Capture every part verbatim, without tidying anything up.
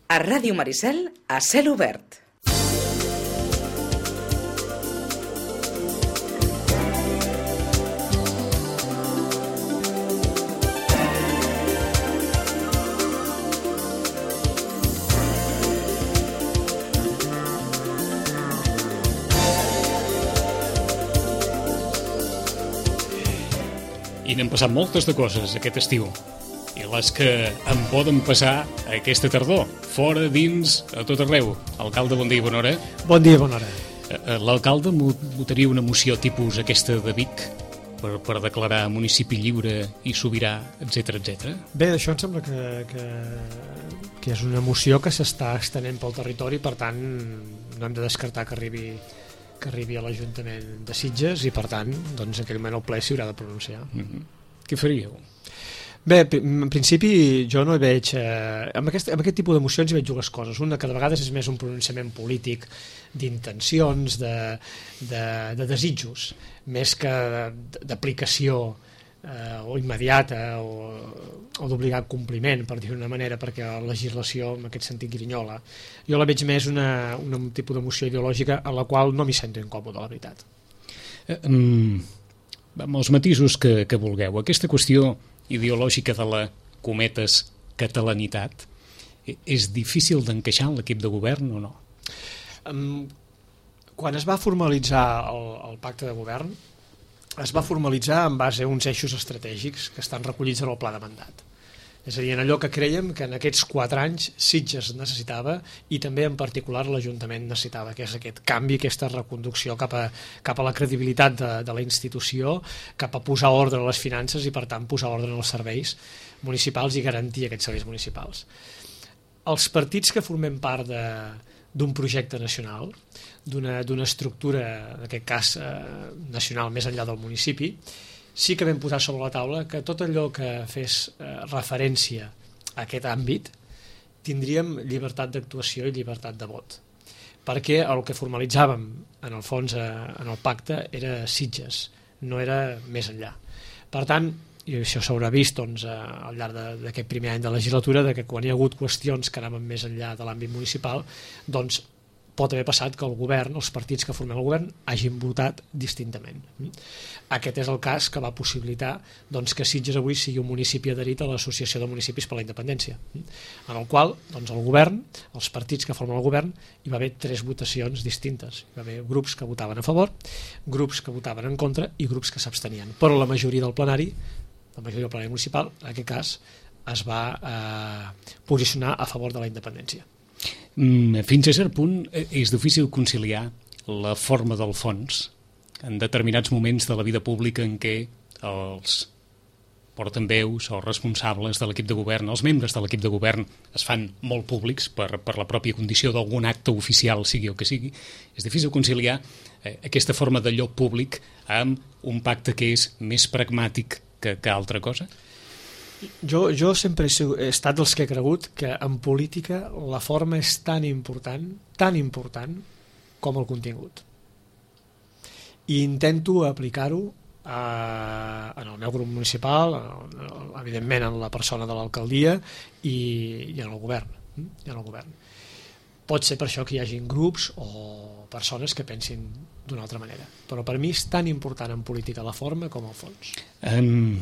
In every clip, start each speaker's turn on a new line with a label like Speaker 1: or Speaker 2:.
Speaker 1: A Ràdio Maricel, a cel obert.
Speaker 2: I n'han passat moltes de coses aquest estiu. I les que en poden passar aquesta tardor. Fora, dins, a tot arreu. Alcalde, bon dia i bona hora.
Speaker 3: Bon dia i bona hora.
Speaker 2: L'alcalde votaria una moció tipus aquesta de Vic per, per declarar municipi lliure i sobirà, etcètera, etcètera.
Speaker 3: Bé, això em sembla que, que, que és una moció que s'està estenent pel territori, per tant no hem de descartar que arribi que arribi a l'Ajuntament de Sitges i per tant, doncs en aquell moment el ple s'hi haurà de pronunciar.
Speaker 2: Mm-hmm. Què faríeu?
Speaker 3: Bé, en principi jo no hi veig eh, amb, aquest, amb aquest tipus d'emocions hi veig dues coses. Una que de vegades és més un pronunciament polític d'intencions, de, de, de desitjos, més que d'aplicació eh, o immediata o, o d'obligat compliment, per dir-ho d'una manera, perquè la legislació en aquest sentit grinyola. Jo la veig més una, una, un tipus d'emoció ideològica a la qual no m'hi sento incòmode, la veritat.
Speaker 2: Eh, um, amb els matisos que, que vulgueu, aquesta qüestió ideològica de la, cometes, catalanitat, és difícil d'encaixar en l'equip de govern o no?
Speaker 3: Um, quan es va formalitzar el, el pacte de govern, es va formalitzar en base a uns eixos estratègics que estan recollits en el pla de mandat. És a dir, en allò que creiem que en aquests quatre anys Sitges necessitava i també en particular l'Ajuntament necessitava, que és aquest canvi, aquesta reconducció cap a, cap a la credibilitat de, de la institució, cap a posar ordre a les finances i per tant posar ordre en els serveis municipals i garantir aquests serveis municipals. Els partits que formem part de, d'un projecte nacional, d'una, d'una estructura, en aquest cas eh, nacional més enllà del municipi, sí que vam posar sobre la taula que tot allò que fes eh, referència a aquest àmbit tindríem llibertat d'actuació i llibertat de vot, perquè el que formalitzàvem en el fons eh, en el pacte era Sitges, no era més enllà. Per tant, i això s'haurà vist doncs, al llarg d'aquest primer any de legislatura, de que quan hi ha hagut qüestions que anaven més enllà de l'àmbit municipal, doncs pot haver passat que el govern, els partits que formen el govern, hagin votat distintament. Aquest és el cas que va possibilitar doncs, que Sitges avui sigui un municipi adherit a l'Associació de Municipis per la Independència, en el qual doncs, el govern, els partits que formen el govern, hi va haver tres votacions distintes. Hi va haver grups que votaven a favor, grups que votaven en contra i grups que s'abstenien. Però la majoria del plenari, la majoria del plenari municipal, en aquest cas, es va eh, posicionar a favor de la independència.
Speaker 2: Fins a cert punt és difícil conciliar la forma del fons en determinats moments de la vida pública en què els portaveus o responsables de l'equip de govern, els membres de l'equip de govern es fan molt públics per, per la pròpia condició d'algun acte oficial, sigui el que sigui. És difícil conciliar eh, aquesta forma de lloc públic amb un pacte que és més pragmàtic que, que altra cosa?
Speaker 3: Jo, jo sempre he estat dels que he cregut que en política la forma és tan important, tan important com el contingut. I intento aplicar-ho a, en el meu grup municipal, evidentment en la persona de l'alcaldia i, i en el govern. I en el govern. Pot ser per això que hi hagin grups o persones que pensin d'una altra manera. Però per mi és tan important en política la forma com el fons.
Speaker 2: Um...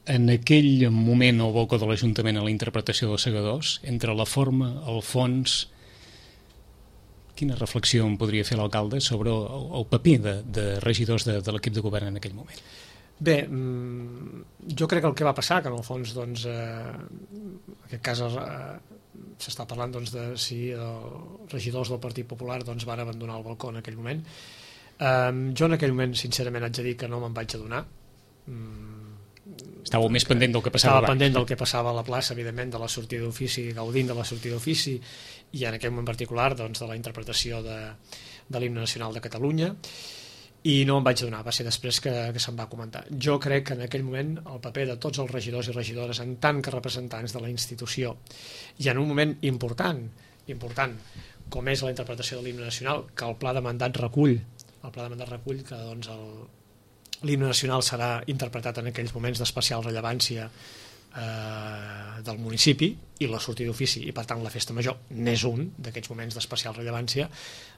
Speaker 2: En aquell moment al balcó de l'Ajuntament a la interpretació dels segadors, entre la forma, el fons, quina reflexió en podria fer l'alcalde sobre el, el paper de, de regidors de, de l'equip de govern en aquell moment?
Speaker 3: Bé, jo crec que el que va passar, que en el fons, doncs, eh, en aquest cas eh, s'està parlant doncs, de si els regidors del Partit Popular doncs, van abandonar el balcó en aquell moment. Eh, jo en aquell moment, sincerament, haig de dir que no me'n vaig adonar. Mm,
Speaker 2: Estàveu més pendent del que passava
Speaker 3: Estava
Speaker 2: abans.
Speaker 3: pendent del que passava a la plaça, evidentment, de la sortida d'ofici, gaudint de la sortida d'ofici, i en aquell moment particular doncs, de la interpretació de, de l'himne nacional de Catalunya, i no em vaig adonar, va ser després que, que se'm va comentar. Jo crec que en aquell moment el paper de tots els regidors i regidores en tant que representants de la institució, i en un moment important, important com és la interpretació de l'himne nacional, que el pla de mandat recull, el pla de mandat recull que doncs, el l'himne nacional serà interpretat en aquells moments d'especial rellevància eh, del municipi i la sortida d'ofici, i per tant la festa major n'és un d'aquests moments d'especial rellevància,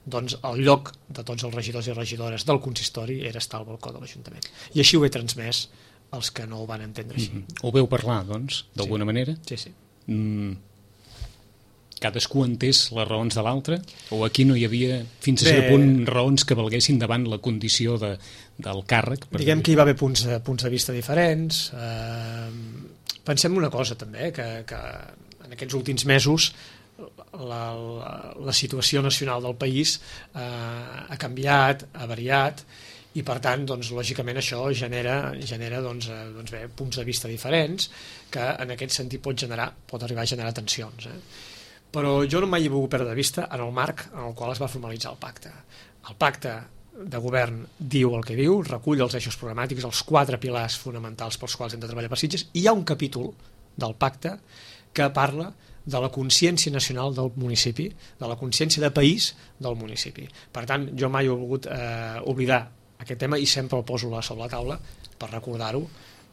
Speaker 3: doncs el lloc de tots els regidors i regidores del consistori era estar al balcó de l'Ajuntament. I així ho he transmès als que no ho van entendre així.
Speaker 2: Mm-hmm. Ho veu parlar, doncs, d'alguna
Speaker 3: sí.
Speaker 2: manera?
Speaker 3: Sí, sí.
Speaker 2: Mm. Cadascú entès les raons de l'altre? O aquí no hi havia, fins a cert punt, raons que valguessin davant la condició de, del càrrec?
Speaker 3: Diguem que hi va haver punts de, punts de vista diferents. Eh, pensem una cosa, també, que, que en aquests últims mesos la, la, la situació nacional del país eh, ha canviat, ha variat, i per tant, doncs, lògicament això genera, genera doncs, eh, doncs bé, punts de vista diferents que en aquest sentit pot generar, pot arribar a generar tensions. Eh? Però jo no mai he volgut perdre de vista en el marc en el qual es va formalitzar el pacte. El pacte de govern diu el que diu, recull els eixos programàtics, els quatre pilars fonamentals pels quals hem de treballar per Sitges, i hi ha un capítol del pacte que parla de la consciència nacional del municipi, de la consciència de país del municipi. Per tant, jo mai he volgut eh, oblidar aquest tema i sempre el poso sobre la taula per recordar-ho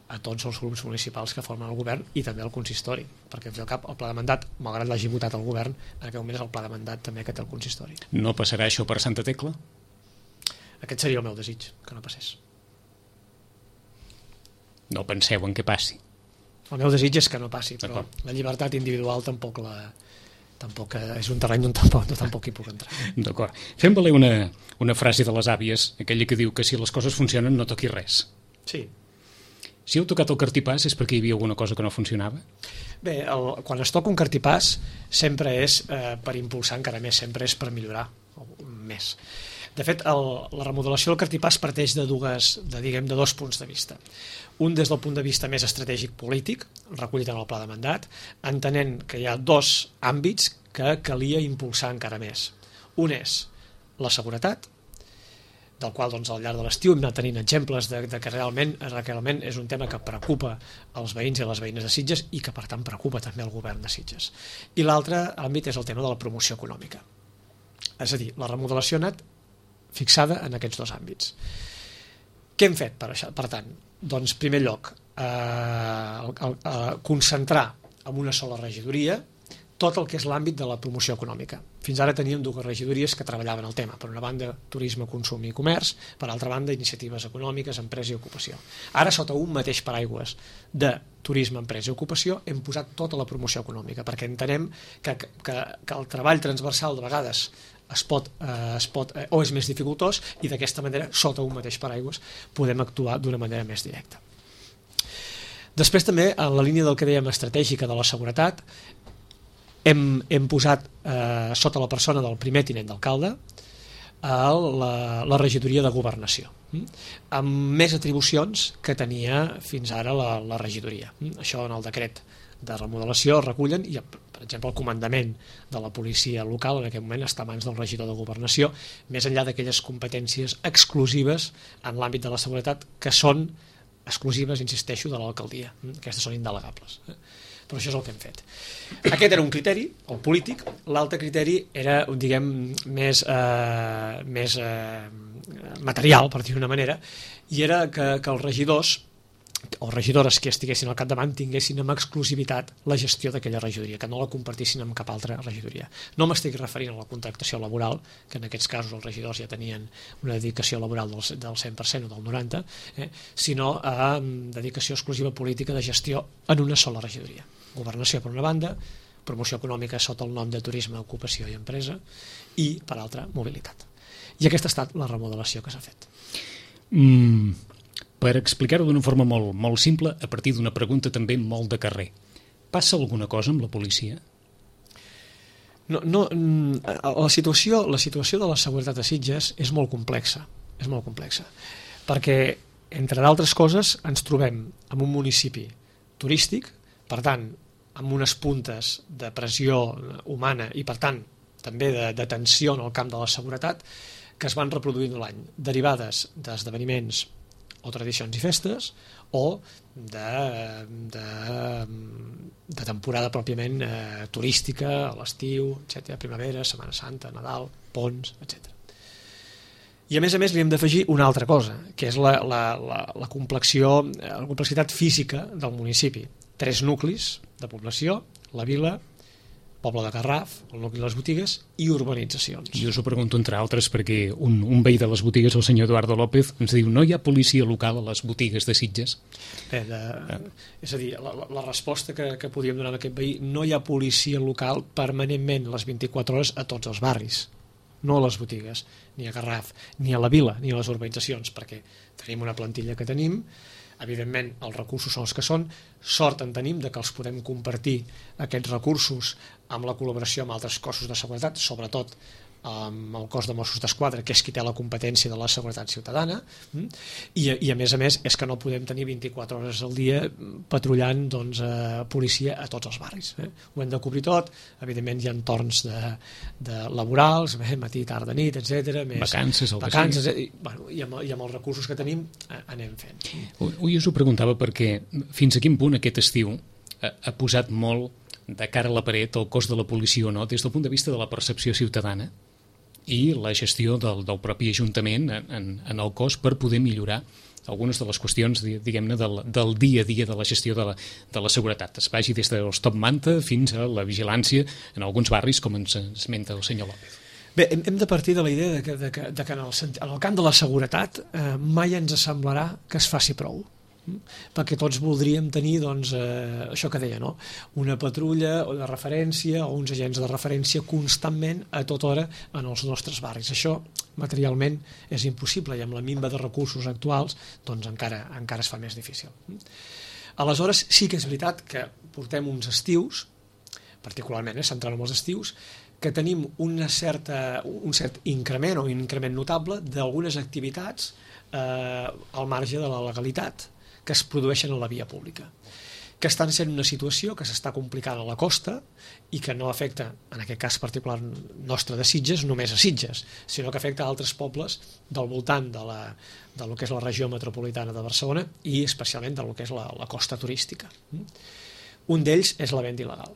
Speaker 3: a tots els grups municipals que formen el govern i també el consistori, perquè al cap el pla de mandat, malgrat l'hagi votat el govern, en aquest moment és el pla de mandat també que té el consistori.
Speaker 2: No passarà això per Santa Tecla?
Speaker 3: Aquest seria el meu desig, que no passés.
Speaker 2: No penseu en què passi?
Speaker 3: El meu desig és que no passi, però la llibertat individual tampoc la... tampoc és un terreny on tampoc, tampoc hi puc entrar.
Speaker 2: D'acord. Fem valer una, una frase de les àvies, aquella que diu que si les coses funcionen no toqui res.
Speaker 3: Sí.
Speaker 2: Si heu tocat el cartipàs és perquè hi havia alguna cosa que no funcionava?
Speaker 3: Bé, el, quan es toca un cartipàs sempre és eh, per impulsar encara més, sempre és per millorar més. De fet, el, la remodelació del cartipàs parteix de, dues, de, diguem, de dos punts de vista. Un des del punt de vista més estratègic polític, recollit en el pla de mandat, entenent que hi ha dos àmbits que calia impulsar encara més. Un és la seguretat, del qual doncs, al llarg de l'estiu hem anat tenint exemples de, de que realment, realment és un tema que preocupa els veïns i les veïnes de Sitges i que per tant preocupa també el govern de Sitges. I l'altre àmbit és el tema de la promoció econòmica. És a dir, la remodelació ha anat fixada en aquests dos àmbits. Què hem fet per això? Per tant, doncs, en primer lloc, eh, eh, concentrar en una sola regidoria tot el que és l'àmbit de la promoció econòmica. Fins ara teníem dues regidories que treballaven el tema. Per una banda, turisme, consum i comerç, per altra banda, iniciatives econòmiques, empresa i ocupació. Ara, sota un mateix paraigües de turisme, empresa i ocupació, hem posat tota la promoció econòmica, perquè entenem que, que, que el treball transversal de vegades es pot, eh, es pot, eh, o és més dificultós, i d'aquesta manera, sota un mateix paraigües, podem actuar d'una manera més directa. Després també, en la línia del que dèiem estratègica de la seguretat, Hem, hem posat eh, sota la persona del primer tinent d'alcalde eh, la, la regidoria de governació, mm? amb més atribucions que tenia fins ara la, la regidoria. Mm? Això en el decret de remodelació recullen, i per exemple el comandament de la policia local en aquest moment està a mans del regidor de governació, més enllà d'aquelles competències exclusives en l'àmbit de la seguretat que són exclusives, insisteixo, de l'alcaldia. Mm? Aquestes són indelegables. Eh? Però això és el que hem fet. Aquest era un criteri, el polític. L'altre criteri era, diguem, més, eh, més eh, material, per dir-ho d'una manera, i era que, que els regidors o regidores que estiguessin al capdavant tinguessin amb exclusivitat la gestió d'aquella regidoria, que no la compartissin amb cap altra regidoria. No m'estic referint a la contractació laboral, que en aquests casos els regidors ja tenien una dedicació laboral del, del cent per cent o del noranta per cent, eh, sinó a dedicació exclusiva política de gestió en una sola regidoria. Governació per una banda, promoció econòmica sota el nom de turisme, ocupació i empresa, i per altra, mobilitat. I aquesta ha estat la remodelació que s'ha fet.
Speaker 2: Mm, per explicar-ho d'una forma molt, molt simple, a partir d'una pregunta també molt de carrer. Passa alguna cosa amb la policia?
Speaker 3: No, no, la situació, la situació de la seguretat a Sitges és molt complexa, és molt complexa, perquè, entre d'altres coses, ens trobem en un municipi turístic, per tant, amb unes puntes de pressió humana i, per tant, també de, de tensió en el camp de la seguretat, que es van reproduint l'any, derivades d'esdeveniments o tradicions i festes, o de, de, de temporada pròpiament eh, turística, a l'estiu, etcètera, primavera, Setmana Santa, Nadal, ponts, etcètera. I a més a més li hem d'afegir una altra cosa, que és la, la, la, la complexió, la complexitat física del municipi. tres nuclis de població, la Vila, Poble de Garraf, el nucli de les botigues i urbanitzacions.
Speaker 2: Jo us ho pregunto entre altres perquè un, un veí de les botigues, el senyor Eduardo López, ens diu no hi ha policia local a les botigues de Sitges.
Speaker 3: Bé, de, és a dir, la, la resposta que, que podíem donar a aquest veí, no hi ha policia local permanentment les vint-i-quatre hores a tots els barris, no a les botigues, ni a Garraf, ni a la Vila, ni a les urbanitzacions, perquè tenim una plantilla que tenim, evidentment els recursos són els que són, sort en tenim de que els podem compartir aquests recursos amb la col·laboració amb altres cossos de seguretat, sobretot amb el cos de Mossos d'Esquadra, que és qui té la competència de la seguretat ciutadana, i, i a més a més és que no podem tenir vint-i-quatre hores al dia patrullant doncs, eh, policia a tots els barris. Eh? Ho hem de cobrir tot, evidentment hi ha torns de, de laborals, eh, matí, tarda, nit, etcètera. Més
Speaker 2: vacances, el
Speaker 3: vacances i, bueno, i, amb, i amb els recursos que tenim eh, anem fent.
Speaker 2: Ui, us ho preguntava perquè fins a quin punt aquest estiu ha, ha posat molt de cara a la paret el cos de la policia o no, des del punt de vista de la percepció ciutadana i la gestió del, del propi Ajuntament en, en, en el cos per poder millorar algunes de les qüestions, diguem-ne, del, del dia a dia de la gestió de la, de la seguretat. Es vagi des dels top manta fins a la vigilància en alguns barris, com ens esmenta el senyor López.
Speaker 3: Bé, hem de partir de la idea de que, de que, de que en, el, en el camp de la seguretat eh, mai ens semblarà que es faci prou, perquè tots voldríem tenir doncs, eh, això que deia, no? Una patrulla de referència o uns agents de referència constantment a tota hora en els nostres barris. Això materialment és impossible i amb la minva de recursos actuals doncs encara, encara es fa més difícil. Aleshores sí que és veritat que portem uns estius, particularment eh, centrant en els estius, que tenim una certa, un cert increment o un increment notable d'algunes activitats eh, al marge de la legalitat que es produeixen a la via pública, que estan sent una situació que s'està complicant a la costa i que no afecta, en aquest cas particular nostre de Sitges, només a Sitges, sinó que afecta a altres pobles del voltant de, la, de lo que és la regió metropolitana de Barcelona i especialment de lo que és la, la costa turística. Un d'ells és la venda il·legal.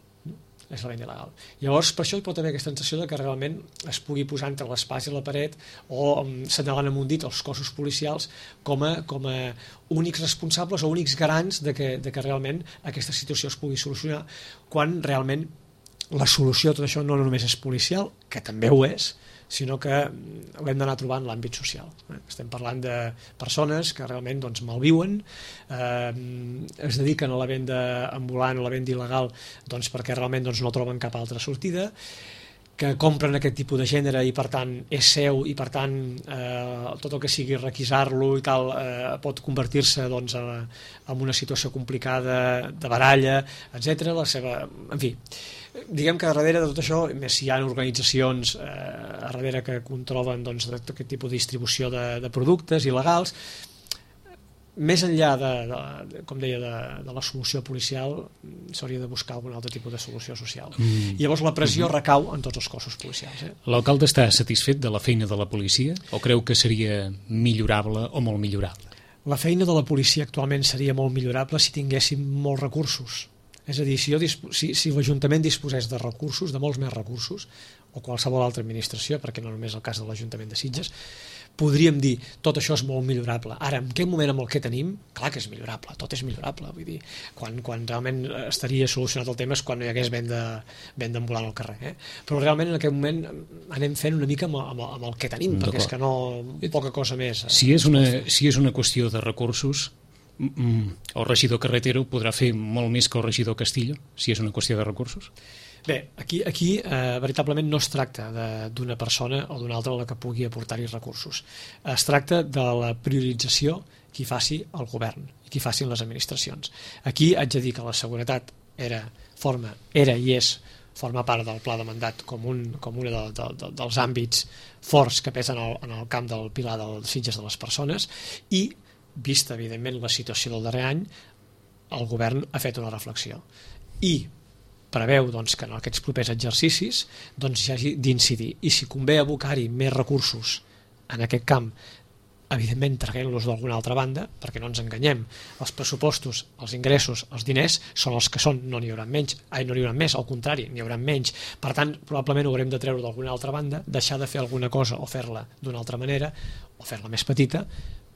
Speaker 3: és la venda il·legal. Llavors, per això hi pot haver aquesta sensació de que realment es pugui posar entre l'espàs i la paret o um, senyalant amb un dit els cossos policials com a, com a únics responsables o únics garants de que, de que realment aquesta situació es pugui solucionar, quan realment la solució a tot això no només és policial, que també ho és, sinó que l'hem d'anar trobant en l'àmbit social. Estem parlant de persones que realment doncs, malviuen, eh, es dediquen a la venda ambulant o la venda il·legal doncs, perquè realment doncs, no troben cap altra sortida, que compren aquest tipus de gènere i per tant és seu i per tant eh, tot el que sigui requisar-lo i tal eh, pot convertir-se doncs, en una situació complicada de baralla, etcètera. La seva... En fi, diguem que darrere de tot això, més si hi ha organitzacions eh, a darrere que controlen doncs, aquest tipus de distribució de, de productes il·legals, més enllà de, de, com deia, de, de la solució policial, s'hauria de buscar algun altre tipus de solució social. Mm. I llavors la pressió mm-hmm. recau en tots els cossos policials. Eh?
Speaker 2: L'alcalde està satisfet de la feina de la policia o creu que seria millorable o molt millorable?
Speaker 3: La feina de la policia actualment seria molt millorable si tinguéssim molts recursos. És a dir, si, jo, si, si l'Ajuntament disposés de recursos, de molts més recursos, o qualsevol altra administració, perquè no només el cas de l'Ajuntament de Sitges, podríem dir, tot això és molt millorable. Ara, en quin moment amb el que tenim? Clar que és millorable, tot és millorable. Vull dir, quan, quan realment estaria solucionat el tema és quan no hi hagués venda, venda ambulant al carrer. Eh? Però realment en aquest moment anem fent una mica amb, amb, amb el que tenim, perquè és que no, poca cosa més. Eh?
Speaker 2: Si és una, si és una qüestió de recursos, el regidor Carretero podrà fer molt més que el regidor Castillo, si és una qüestió de recursos?
Speaker 3: Bé, aquí, aquí eh, veritablement no es tracta d'una persona o d'una altra a la que pugui aportar-hi recursos. Es tracta de la priorització que hi faci el govern i que hi facin les administracions. Aquí haig de dir que la seguretat era, forma, era i és forma part del pla de mandat com un, com un de, de, de, dels àmbits forts que pesen en el, en el camp del pilar dels Sitges de les persones i, vista evidentment la situació del darrer any, el govern ha fet una reflexió i preveu doncs, que en aquests propers exercicis doncs, hi hagi d'incidir i si convé abocar-hi més recursos en aquest camp, evidentment traguent-los d'alguna altra banda, perquè no ens enganyem, els pressupostos, els ingressos, els diners són els que són, no n'hi haurà menys, ai, no n'hi haurà més, al contrari, n'hi haurà menys, per tant probablement ho haurem de treure d'alguna altra banda, deixar de fer alguna cosa o fer-la d'una altra manera o fer-la més petita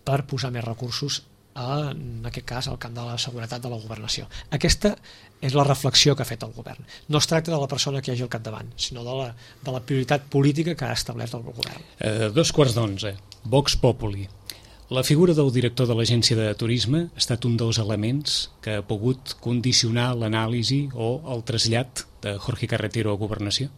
Speaker 3: per posar més recursos a, en aquest cas, al camp de la seguretat de la governació. Aquesta és la reflexió que ha fet el govern. No es tracta de la persona que hi hagi al capdavant, sinó de la, de la prioritat política que ha establert el govern.
Speaker 2: Eh, dos quarts d'onze. Vox Populi. La figura del director de l'Agència de Turisme ha estat un dels elements que ha pogut condicionar l'anàlisi o el trasllat de Jorge Carretero a Governació?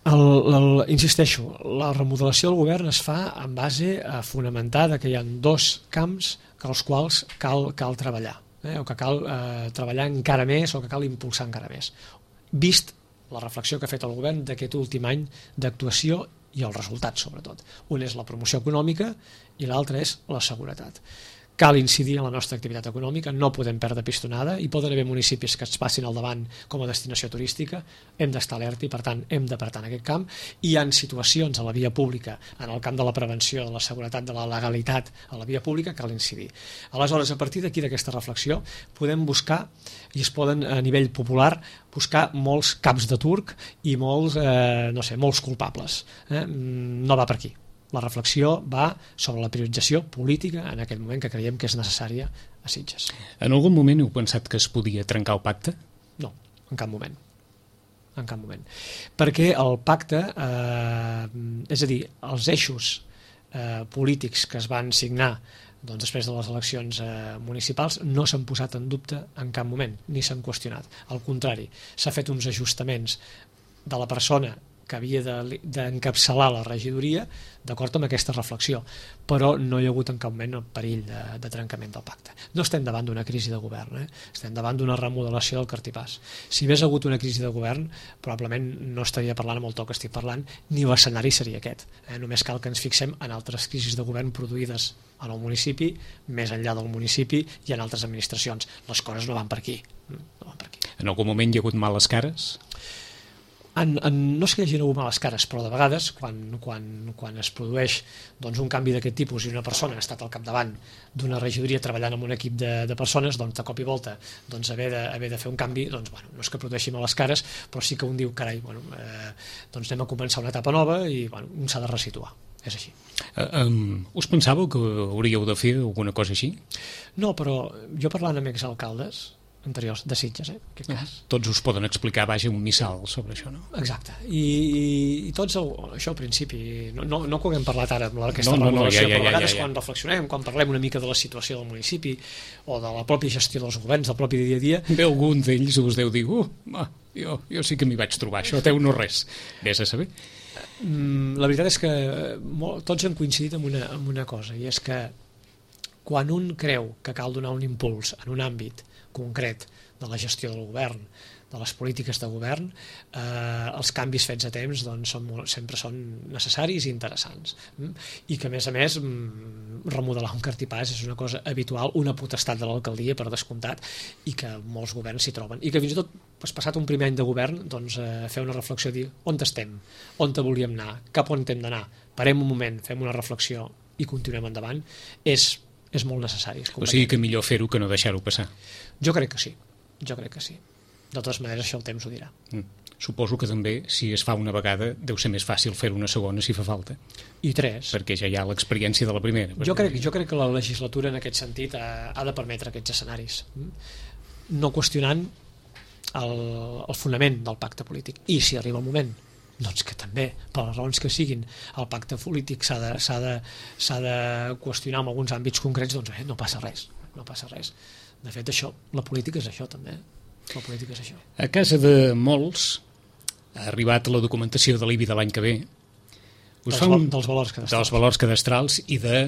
Speaker 3: El, el, insisteixo, la remodelació del govern es fa en base a fonamentar que hi ha dos camps que als quals cal, cal treballar, eh? o que cal eh, treballar encara més o que cal impulsar encara més, vist la reflexió que ha fet el govern d'aquest últim any d'actuació i els resultats, sobretot. Un és la promoció econòmica i l'altre és la seguretat. Cal incidir en la nostra activitat econòmica, no podem perdre pistonada, i poden haver municipis que es passin al davant com a destinació turística, hem d'estar alerta i per tant hem d'apartar en aquest camp. Hi ha situacions a la via pública, en el camp de la prevenció, de la seguretat, de la legalitat a la via pública, cal incidir. Aleshores, a partir d'aquí d'aquesta reflexió podem buscar, i es poden a nivell popular buscar molts caps de turc i molts, eh, no sé, molts culpables. Eh? No va per aquí. La reflexió va sobre la priorització política en aquell moment que creiem que és necessària a Sitges.
Speaker 2: En algun moment heu pensat que es podia trencar el pacte?
Speaker 3: No, en cap moment. En cap moment. Perquè el pacte, eh, és a dir, els eixos eh, polítics que es van signar doncs, després de les eleccions eh, municipals no s'han posat en dubte en cap moment, ni s'han qüestionat. Al contrari, s'ha fet uns ajustaments de la persona que havia d'encapçalar la regidoria d'acord amb aquesta reflexió, però no hi ha hagut en cap moment el perill de, de trencament del pacte. No estem davant d'una crisi de govern, eh? Estem davant d'una remodelació del cartipàs. Si hagués hagut una crisi de govern, probablement no estaria parlant amb el to que estic parlant, ni l'escenari seria aquest. Eh? Només cal que ens fixem en altres crisis de govern produïdes en el municipi, més enllà del municipi i en altres administracions. Les coses no van per aquí. No van per aquí.
Speaker 2: En algun moment hi ha hagut males cares?
Speaker 3: En, en, no és que hi hagi hagut males cares, però de vegades quan, quan, quan es produeix doncs, un canvi d'aquest tipus i una persona ha estat al capdavant d'una regidoria treballant amb un equip de, de persones, doncs de cop i volta doncs, haver, de, haver de fer un canvi, doncs, bueno, no és que produeixi males cares, però sí que un diu, carai, bueno, eh, doncs anem a començar una etapa nova i bueno, un s'ha de resituar. És així.
Speaker 2: Uh, um, us pensàveu que hauríeu de fer alguna cosa així?
Speaker 3: No, però jo parlant amb exalcaldes anteriors de Sitges, eh, en aquest cas.
Speaker 2: Tots us poden explicar, vaja, un missal sobre això, no?
Speaker 3: Exacte. I, i, i tots, el, això al principi, no, no, no que haguem parlat ara amb aquesta
Speaker 2: no, no,
Speaker 3: remodelació,
Speaker 2: no, ja, ja,
Speaker 3: però a vegades
Speaker 2: ja, ja, ja.
Speaker 3: quan reflexionem, quan parlem una mica de la situació del municipi o de la pròpia gestió dels governs, del propi dia a dia...
Speaker 2: Bé, algun d'ells us deu dir, uh, jo, jo sí que m'hi vaig trobar, això teu no res. Vés a saber.
Speaker 3: La veritat és que molt, tots hem coincidit en una, en una cosa, i és que quan un creu que cal donar un impuls en un àmbit concret de la gestió del govern, de les polítiques de govern, eh, els canvis fets a temps doncs, són molt, sempre són necessaris i interessants. I que, a més a més, remodelar un cartipàs és una cosa habitual, una potestat de l'alcaldia, per descomptat, i que molts governs s'hi troben. I que fins i tot, pues, passat un primer any de govern, doncs, eh, fer una reflexió i dir on estem, on te volíem anar, cap on hem d'anar, parem un moment, fem una reflexió i continuem endavant, és, és molt necessari.
Speaker 2: O sigui que millor fer-ho que no deixar-ho passar.
Speaker 3: Jo crec que sí. Jo crec que sí. De totes maneres, això el temps ho dirà.
Speaker 2: Mm. Suposo que també, si es fa una vegada, deu ser més fàcil fer una segona si fa falta.
Speaker 3: I tres.
Speaker 2: Perquè ja hi ha l'experiència de la primera.
Speaker 3: Jo crec, jo crec que la legislatura, en aquest sentit, ha, ha de permetre aquests escenaris. No qüestionant el, el fonament del pacte polític. I si arriba el moment, doncs que també, per les raons que siguin, el pacte polític s'ha de, s'ha de, s'ha de qüestionar en alguns àmbits concrets, doncs eh, no passa res. No passa res. De fet, això, la política és això, també. La política és això.
Speaker 2: A casa de molts ha arribat la documentació de l'I B I de l'any que ve. Us
Speaker 3: dels,
Speaker 2: fa un,
Speaker 3: dels valors cadastrals.
Speaker 2: Dels valors cadastrals i de,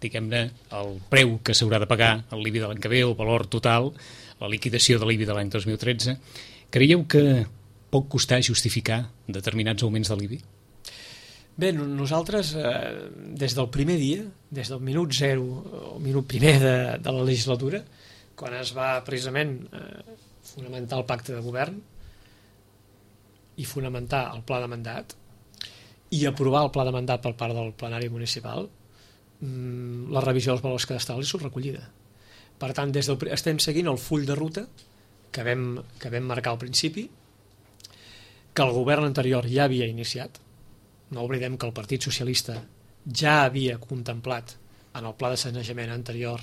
Speaker 2: diguem-ne, el preu que s'haurà de pagar el l'I B I de l'any que ve, el valor total, la liquidació de l'I B I de l'any dos mil tretze. Creieu que pot costar justificar determinats augments de l'I B I?
Speaker 3: Bé, nosaltres, eh, des del primer dia, des del minut zero, o minut primer de, de la legislatura, quan es va precisament eh, fonamentar el pacte de govern i fonamentar el pla de mandat i aprovar el pla de mandat per part del plenari municipal, mmm, la revisió dels valors cadastrals és recollida. Per tant, des del, estem seguint el full de ruta que vam, que vam marcar al principi, que el govern anterior ja havia iniciat. No oblidem que el Partit Socialista ja havia contemplat en el pla de sanejament anterior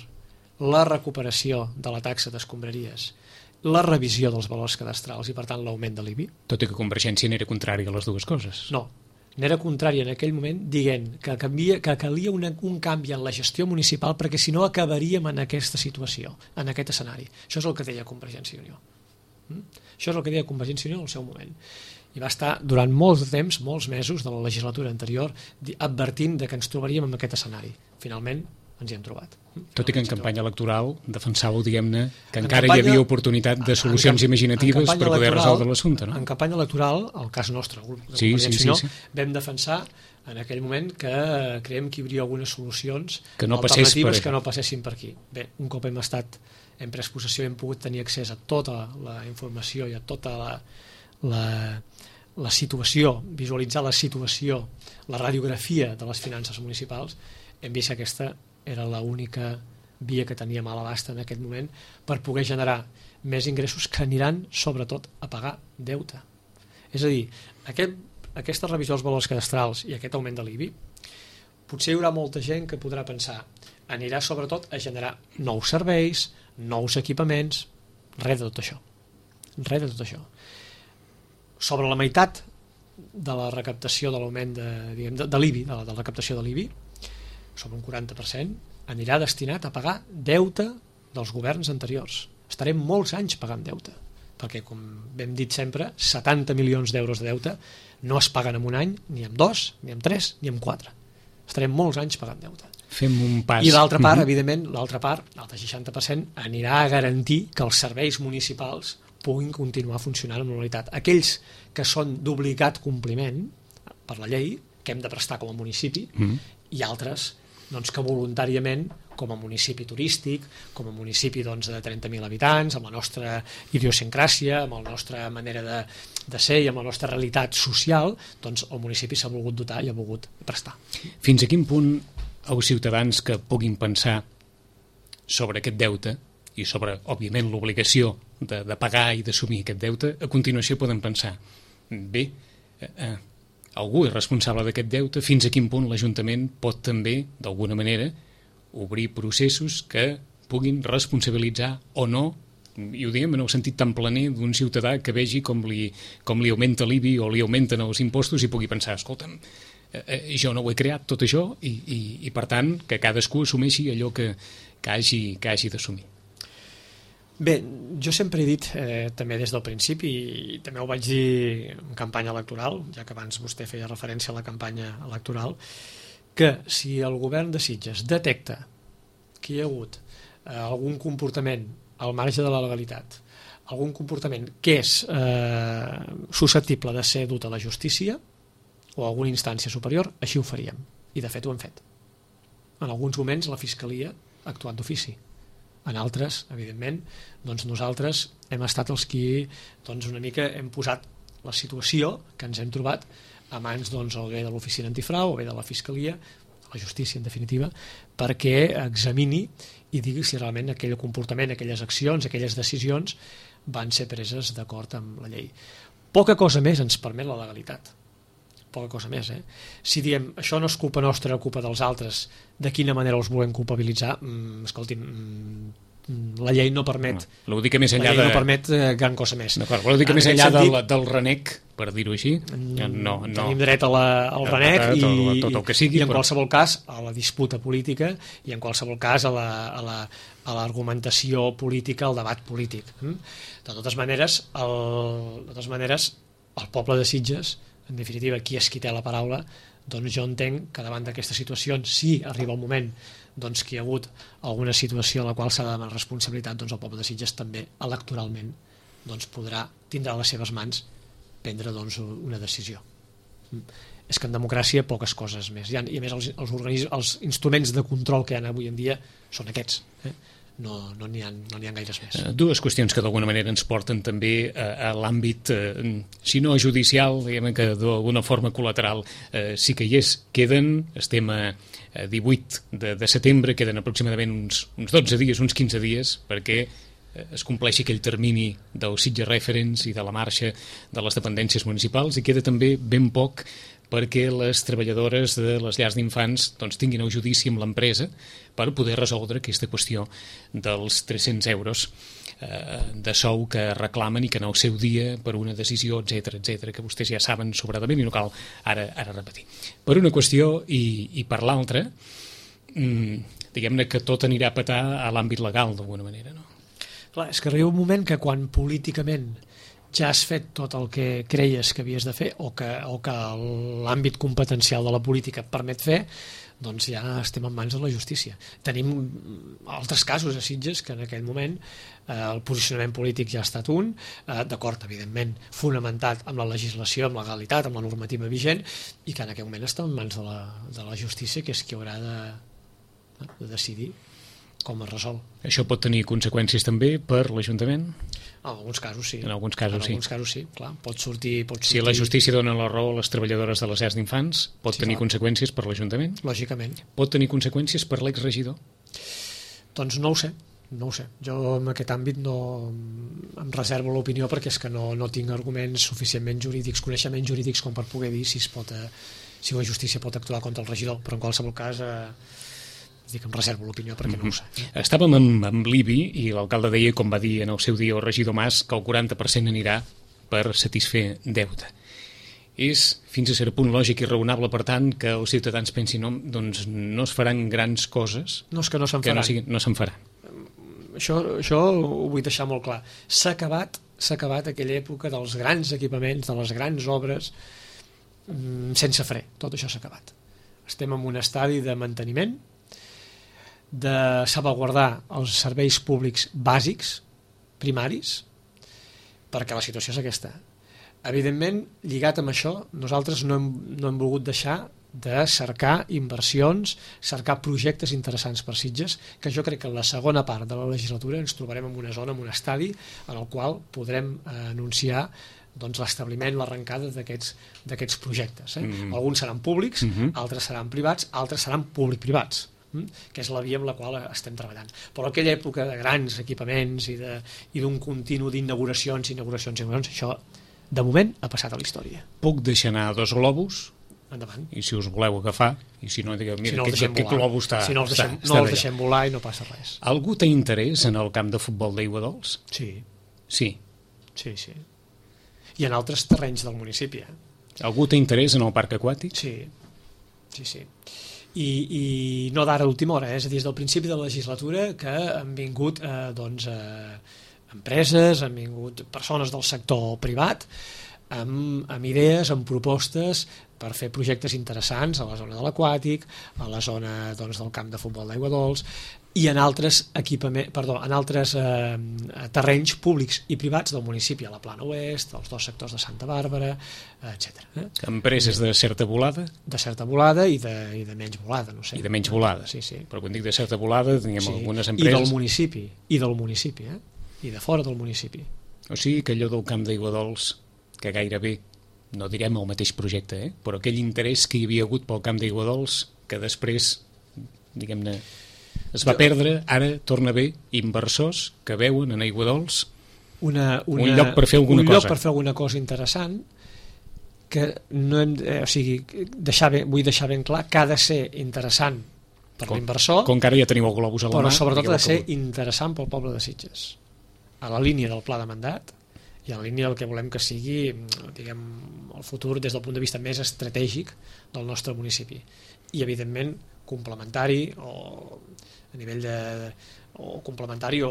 Speaker 3: la recuperació de la taxa d'escombraries, la revisió dels valors cadastrals i, per tant, l'augment de l'I B I.
Speaker 2: Tot i que Convergència n'era contrària a les dues coses.
Speaker 3: No, n'era contrària en aquell moment dient que, canvia, que calia una, un canvi en la gestió municipal perquè si no acabaríem en aquesta situació, en aquest escenari. Això és el que deia Convergència i Unió. Mm? Això és el que deia Convergència i Unió en el seu moment. I va estar durant molts temps, molts mesos de la legislatura anterior, advertint de que ens trobaríem en aquest escenari. Finalment, ens hi hem trobat.
Speaker 2: Tot i que en campanya electoral defensàveu, diguem-ne, que
Speaker 3: en
Speaker 2: encara
Speaker 3: campanya,
Speaker 2: hi havia oportunitat de solucions
Speaker 3: en,
Speaker 2: imaginatives
Speaker 3: en
Speaker 2: per poder resoldre l'assumpte, no?
Speaker 3: En campanya electoral, el cas nostre, el grup de
Speaker 2: sí, sí, sí, sí.
Speaker 3: vam defensar en aquell moment que creiem que hi hauria algunes solucions
Speaker 2: que no
Speaker 3: alternatives
Speaker 2: per...
Speaker 3: que no passessin per aquí. Bé, un cop hem estat, hem pres possessió, hem pogut tenir accés a tota la informació i a tota la, la, la situació, visualitzar la situació, la radiografia de les finances municipals, hem vist que aquesta era l'única via que teníem a l'abast en aquest moment per poder generar més ingressos que aniran sobretot a pagar deute. És a dir, aquest, aquesta revisió dels valors cadastrals i aquest augment de l'I B I, potser hi haurà molta gent que podrà pensar anirà sobretot a generar nous serveis, nous equipaments, res de tot això. Res de tot això. Sobre la meitat de la recaptació de l'augment de, diguem, de, de l'I B I, de la, de la recaptació de l'I B I, sobre un quaranta per cent, anirà destinat a pagar deute dels governs anteriors. Estarem molts anys pagant deute, perquè, com hem dit sempre, setanta milions d'euros de deute no es paguen en un any, ni en dos, ni en tres, ni en quatre. Estarem molts anys pagant deute.
Speaker 2: Fem un pas.
Speaker 3: I l'altra part, mm-hmm. evidentment, l'altra part, l'altre seixanta per cent, anirà a garantir que els serveis municipals puguin continuar funcionant amb normalitat. Aquells que són d'obligat compliment per la llei, que hem de prestar com a municipi, mm-hmm. i altres doncs, que voluntàriament, com a municipi turístic, com a municipi doncs, de trenta mil habitants, amb la nostra idiosincràsia, amb la nostra manera de, de ser i amb la nostra realitat social, doncs el municipi s'ha volgut dotar i ha volgut prestar.
Speaker 2: Fins a quin punt els ciutadans que puguin pensar sobre aquest deute i sobre, òbviament, l'obligació de, de pagar i d'assumir aquest deute, a continuació poden pensar, bé, eh, eh, algú és responsable d'aquest deute, fins a quin punt l'Ajuntament pot també, d'alguna manera, obrir processos que puguin responsabilitzar o no, i ho diem en el sentit tan planer d'un ciutadà que vegi com li, com li augmenta l'I B I o li augmenten els impostos i pugui pensar, escolta'm, eh, jo no ho he creat tot això i, i, i per tant que cadascú assumeixi allò que, que hagi, que hagi d'assumir.
Speaker 3: Bé, jo sempre he dit, eh, també des del principi, i també ho vaig dir en campanya electoral, ja que abans vostè feia referència a la campanya electoral, que si el govern de Sitges detecta que hi ha hagut eh, algun comportament al marge de la legalitat, algun comportament que és eh, susceptible de ser dut a la justícia o a alguna instància superior, així ho faríem. I de fet ho hem fet. En alguns moments la Fiscalia ha actuat d'ofici. En altres, evidentment, doncs nosaltres hem estat els qui doncs una mica hem posat la situació que ens hem trobat a mans doncs, o bé de l'oficina antifrau o bé de la Fiscalia, la justícia en definitiva, perquè examini i digui si realment aquell comportament, aquelles accions, aquelles decisions van ser preses d'acord amb la llei. Poca cosa més ens permet la legalitat. Poca cosa més, eh? Si diem això no és culpa nostra, culpa dels altres, de quina manera els volem culpabilitzar? Mm, escolti'm, mm, la llei no permet,
Speaker 2: no, vol dir que més enllà
Speaker 3: la llei
Speaker 2: de...
Speaker 3: no permet eh, gran cosa més.
Speaker 2: Vol dir que en més enllà sentit, del, del renec, per dir-ho així, no, no.
Speaker 3: Tenim dret a la, al renec
Speaker 2: tot,
Speaker 3: i,
Speaker 2: tot, tot el que sigui,
Speaker 3: i en
Speaker 2: però...
Speaker 3: qualsevol cas a la disputa política i en qualsevol cas a la, a la, a l'argumentació política, al debat polític. De totes maneres, el, de totes maneres, el poble de Sitges, en definitiva, qui és qui té la paraula, doncs jo entenc que davant d'aquestes situacions, si arriba el moment doncs, que hi ha hagut alguna situació en la qual s'ha de demanar responsabilitat, doncs el poble de Sitges també electoralment doncs, podrà, tindrà a les seves mans prendre doncs, una decisió. És que en democràcia poques coses més. I, i a més els, els, organismes, els instruments de control que hi ha avui en dia són aquests. Eh? No no n'hi ha, no n'hi ha gaires més.
Speaker 2: Dues qüestions que d'alguna manera ens porten també a, a l'àmbit, eh, si no judicial, diguem que d'alguna forma col·lateral eh, sí que hi és. Queden, estem a, a divuit de, de setembre, queden aproximadament uns, uns dotze dies, uns quinze dies, perquè es compleixi aquell termini del Sitges Reference i de la marxa de les dependències municipals, i queda també ben poc perquè les treballadores de les llars d'infants doncs, tinguin el judici amb l'empresa per poder resoldre aquesta qüestió dels tres-cents euros eh, de sou que reclamen i que en el seu dia, per una decisió, etcètera, etcètera, que vostès ja saben sobradament i no cal ara, ara repetir. Per una qüestió i, i per l'altra, mmm, diguem-ne que tot anirà a petar a l'àmbit legal, d'alguna manera, no?
Speaker 3: Clar, és que arriba un moment que quan políticament ja has fet tot el que creies que havies de fer o que, o que l'àmbit competencial de la política et permet fer, doncs ja estem en mans de la justícia. Tenim altres casos a Sitges que en aquell moment eh, el posicionament polític ja ha estat un, eh, d'acord, evidentment, fonamentat amb la legislació, amb la legalitat, amb la normativa vigent, i que en aquell moment està en mans de la, de la justícia, que és qui haurà de, de decidir com es resol.
Speaker 2: Això pot tenir conseqüències també per l'Ajuntament?
Speaker 3: En alguns casos sí.
Speaker 2: En alguns casos,
Speaker 3: en
Speaker 2: sí.
Speaker 3: alguns casos sí, clar. Pot sortir, pot sortir...
Speaker 2: Si la justícia dona la raó a les treballadores de les llars d'infants, pot
Speaker 3: Sí,
Speaker 2: tenir
Speaker 3: clar.
Speaker 2: conseqüències per l'Ajuntament?
Speaker 3: Lògicament.
Speaker 2: Pot tenir conseqüències per l'exregidor?
Speaker 3: Doncs no ho sé, no ho sé. Jo en aquest àmbit no em reservo l'opinió perquè és que no, no tinc arguments suficientment jurídics, coneixements jurídics com per poder dir si, es pot, eh, si la justícia pot actuar contra el regidor, però en qualsevol cas... Eh, dic, em reservo l'opinió perquè no ho sé.
Speaker 2: Estàvem amb, amb l'I B I i l'alcalde deia, com va dir en el seu dia el regidor Mas, que el quaranta per cent anirà per satisfer deute. És fins a cert punt lògic i raonable, per tant, que els ciutadans pensin no, doncs no es faran grans coses
Speaker 3: No és que no se'n
Speaker 2: que
Speaker 3: faran.
Speaker 2: no, sigui, no se'n faran.
Speaker 3: Això, això ho vull deixar molt clar. S'ha acabat, s'ha acabat aquella època dels grans equipaments, de les grans obres, mm, sense fre. Tot això s'ha acabat. Estem en un estadi de manteniment, de salvaguardar els serveis públics bàsics, primaris, perquè la situació és aquesta. Evidentment, lligat amb això, nosaltres no hem, no hem volgut deixar de cercar inversions, cercar projectes interessants per Sitges, que jo crec que en la segona part de la legislatura ens trobarem en una zona, en un estadi, en el qual podrem eh, anunciar doncs, l'establiment, l'arrencada d'aquests projectes. Eh? Mm-hmm. Alguns seran públics, mm-hmm. altres seran privats, altres seran públic-privats, que és la via amb la qual estem treballant. Però aquella època de grans equipaments i d'un continu d'inauguracions, inauguracions, inauguracions, això de moment ha passat a la història.
Speaker 2: Puc deixar anar dos globus,
Speaker 3: endavant.
Speaker 2: I si us voleu agafar, i si no, digueu, mira,
Speaker 3: si no
Speaker 2: aquest, aquest globus està...
Speaker 3: Si no els deixem,
Speaker 2: està,
Speaker 3: no
Speaker 2: està
Speaker 3: els deixem volar i no passa res.
Speaker 2: Algú té interès en el camp de futbol d'Aiguadols?
Speaker 3: Sí.
Speaker 2: Sí.
Speaker 3: Sí, sí. I en altres terrenys del municipi. Eh?
Speaker 2: Algú té interès en el parc aquàtic?
Speaker 3: Sí, sí, sí. I, i no d'ara a última hora, eh? És a dir, des del principi de la legislatura que han vingut eh, doncs, eh, empreses, han vingut persones del sector privat amb, amb idees, amb propostes per fer projectes interessants a la zona de l'aquàtic, a la zona doncs, del camp de futbol d'Aiguadols i en altres, equipament, perdó, en altres eh, terrenys públics i privats del municipi, a la Plana Oest, als dos sectors de Santa Bàrbara, etcètera. Eh?
Speaker 2: Empreses de certa volada?
Speaker 3: De certa volada i de, i de menys volada, no sé.
Speaker 2: I de menys volada.
Speaker 3: Sí, sí.
Speaker 2: Però quan dic de certa volada, tinguem
Speaker 3: sí.
Speaker 2: algunes empreses...
Speaker 3: I del municipi, i del municipi, eh? I de fora del municipi.
Speaker 2: O sigui que allò del camp d'Aiguadols, que gairebé, no direm el mateix projecte, eh? Però aquell interès que hi havia hagut pel camp d'Aiguadols, que després, diguem-ne, es va jo... perdre, ara torna bé inversors que veuen en Aiguadols
Speaker 3: una, una,
Speaker 2: un lloc per fer alguna
Speaker 3: un
Speaker 2: cosa.
Speaker 3: Un lloc per fer alguna cosa interessant que no hem, eh, o sigui, deixar ben, vull deixar ben clar que ha de ser interessant per l'inversor,
Speaker 2: com que ara ja teniu el globus a la
Speaker 3: però
Speaker 2: mà,
Speaker 3: sobretot ha de ser interessant pel poble de Sitges, a la línia del pla de mandat i a la línia del que volem que sigui, diguem, el futur des del punt de vista més estratègic del nostre municipi i evidentment complementari o a nivell de o complementari o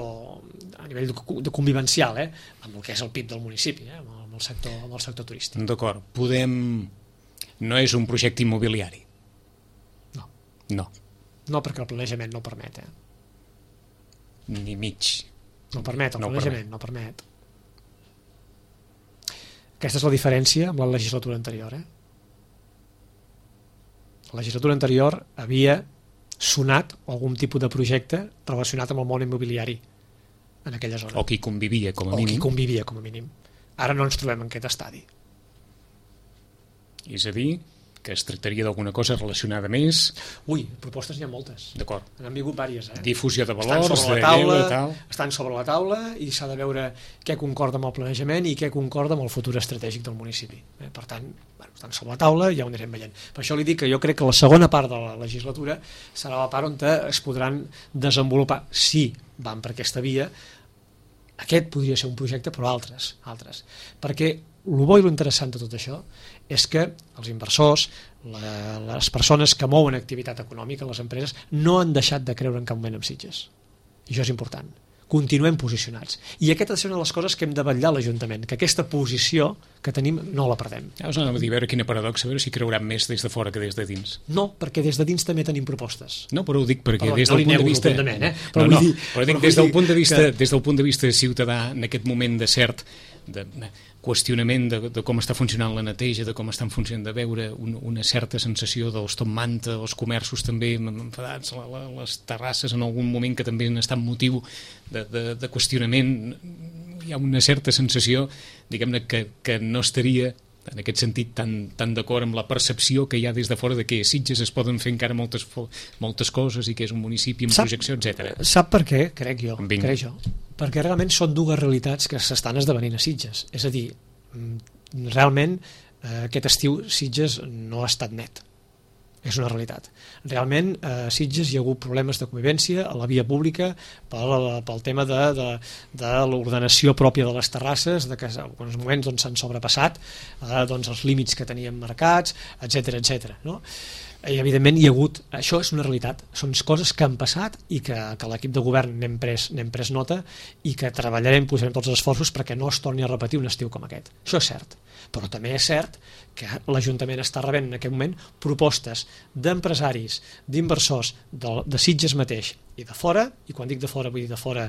Speaker 3: a nivell de convivencial, eh, amb el que és el P I B del municipi, eh, amb el sector, amb el sector turístic.
Speaker 2: D'acord, podem... No és un projecte immobiliari?
Speaker 3: No.
Speaker 2: No.
Speaker 3: No, perquè el planejament no permet, eh.
Speaker 2: Ni mig.
Speaker 3: No permet, el
Speaker 2: no
Speaker 3: planejament
Speaker 2: permet.
Speaker 3: no permet. Aquesta és la diferència amb la legislatura anterior, eh. La legislatura anterior havia sonat algun tipus de projecte relacionat amb el món immobiliari en aquella zona.
Speaker 2: O qui convivia, com a
Speaker 3: o
Speaker 2: mínim.
Speaker 3: O qui convivia, com a mínim. Ara no ens trobem en aquest estadi.
Speaker 2: És a dir, que es tractaria d'alguna cosa relacionada més.
Speaker 3: Ui, propostes n'hi ha moltes.
Speaker 2: D'acord.
Speaker 3: N'han vingut diverses, eh?
Speaker 2: Difusió de
Speaker 3: Estan
Speaker 2: valors,
Speaker 3: sobre
Speaker 2: de
Speaker 3: la taula,
Speaker 2: lleure, tal.
Speaker 3: estan sobre la taula i s'ha de veure què concorda amb el planejament i què concorda amb el futur estratègic del municipi. Eh? Per tant, bueno, estan sobre la taula i ja ho anirem veient. Per això li dic que jo crec que la segona part de la legislatura serà la part on es podran desenvolupar, si van per aquesta via. Aquest podria ser un projecte, però altres, altres. Perquè el bo i l'interessant de tot això és que els inversors, la, les persones que mouen activitat econòmica, les empreses, no han deixat de creure en cap moment en Sitges. I això és important. Continuem posicionats. I aquesta és una de les coses que hem de vetllar a l'Ajuntament, que aquesta posició que tenim no la perdem.
Speaker 2: Ja us anava a dir, a veure quina paradoxa, a veure si creuran més des de fora que des de dins.
Speaker 3: No, perquè des de dins també tenim propostes.
Speaker 2: No, però ho dic perquè
Speaker 3: Perdó,
Speaker 2: des
Speaker 3: no
Speaker 2: del
Speaker 3: li
Speaker 2: punt de
Speaker 3: nego
Speaker 2: vista...
Speaker 3: rotundament, eh? Però
Speaker 2: no,
Speaker 3: vull
Speaker 2: no,
Speaker 3: dir-
Speaker 2: però dic,
Speaker 3: però
Speaker 2: des
Speaker 3: vull
Speaker 2: del
Speaker 3: dir
Speaker 2: punt de vista,
Speaker 3: que-
Speaker 2: des del punt de vista ciutadà, en aquest moment de cert de qüestionament de, de com està funcionant la neteja, de com estan funcionant, de veure un, una certa sensació dels top manta, els comerços també enfadats, la, la, les terrasses en algun moment que també han estat motiu de, de, de qüestionament. Hi ha una certa sensació, diguem-ne, que, que no estaria en aquest sentit tan, tan d'acord amb la percepció que hi ha des de fora de que a Sitges es poden fer encara moltes, moltes coses i que és un municipi amb
Speaker 3: Sap-
Speaker 2: projecció, etcètera.
Speaker 3: Sap per què? Crec jo.
Speaker 2: Vinga.
Speaker 3: Crec jo. Perquè realment són dues realitats que s'estan esdevenint a Sitges. És a dir, mm, realment eh, aquest estiu Sitges no ha estat net. És una realitat. Realment a Sitges hi ha hagut problemes de convivència a la via pública pel, pel tema de, de, de l'ordenació pròpia de les terrasses, de que en alguns moments doncs, s'han sobrepassat eh, doncs, els límits que teníem marcats, etcètera, etcètera, no? I evidentment hi ha hagut, això és una realitat, són coses que han passat i que, que l'equip de govern n'hem pres, n'hem pres nota i que treballarem, posarem tots els esforços perquè no es torni a repetir un estiu com aquest. Això és cert, però també és cert que l'Ajuntament està rebent en aquest moment propostes d'empresaris, d'inversors de, de Sitges mateix i de fora, i quan dic de fora vull dir de fora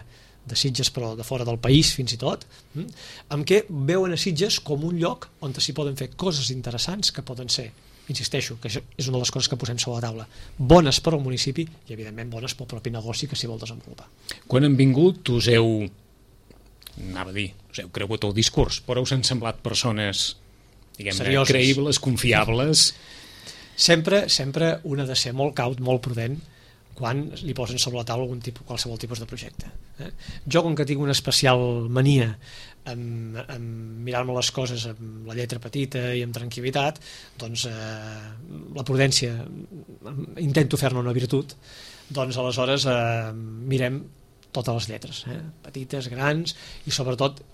Speaker 3: de Sitges però de fora del país fins i tot, hm? amb què veuen a Sitges com un lloc on s'hi poden fer coses interessants que poden ser, insisteixo, que això és una de les coses que posem sobre la taula, bones per al municipi i evidentment bones pel propi negoci que s'hi vol desenvolupar.
Speaker 2: Quan han vingut us heu, anava a dir, us heu cregut el discurs, però us han semblat persones, diguem-ne,
Speaker 3: Serioses.
Speaker 2: creïbles, confiables.
Speaker 3: Sempre, sempre un ha de ser molt caut, molt prudent quan li posen sobre la taula algun tipus, qualsevol tipus de projecte. Eh? Jo, com que tinc una especial mania en, en mirar-me les coses amb la lletra petita i amb tranquil·litat, doncs eh, la prudència intento fer-ne una virtut, doncs aleshores eh, mirem totes les lletres, eh? petites, grans, i sobretot